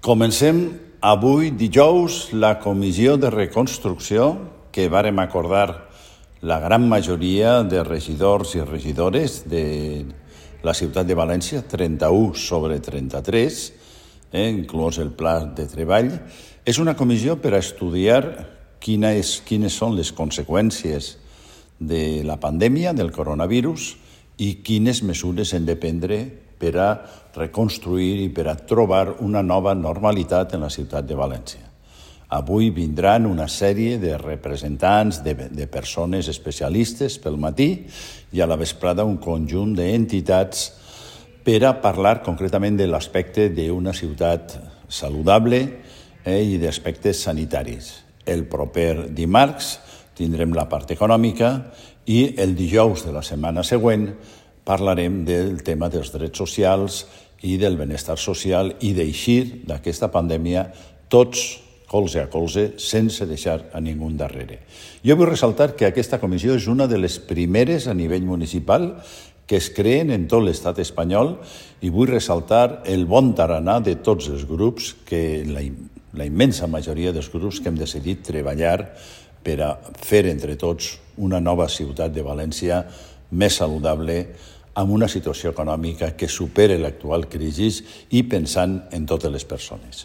Comencem avui dijous la comissió de reconstrucció que vàrem acordar la gran majoria de regidors i regidores de la ciutat de València, 31 sobre 33, inclòs el pla de treball. És una comissió per a estudiar quines són les conseqüències de la pandèmia, del coronavirus, i quines mesures hem de prendre per a reconstruir i per a trobar una nova normalitat en la ciutat de València. Avui vindran una sèrie de representants, de persones especialistes pel matí i a la vesprada un conjunt d'entitats per a parlar concretament de l'aspecte d'una ciutat saludable i d'aspectes sanitaris. El proper dimarts tindrem la part econòmica i el dijous de la setmana següent parlarem del tema dels drets socials i del benestar social i d'eixir d'aquesta pandèmia tots colze a colze sense deixar a ningú darrere. Jo vull ressaltar que aquesta comissió és una de les primeres a nivell municipal que es creen en tot l'estat espanyol i vull ressaltar el bon tarannà de tots els grups, que la immensa majoria dels grups que hem decidit treballar per a fer entre tots una nova ciutat de València més saludable, amb una situació econòmica que supere l'actual crisi i pensant en totes les persones.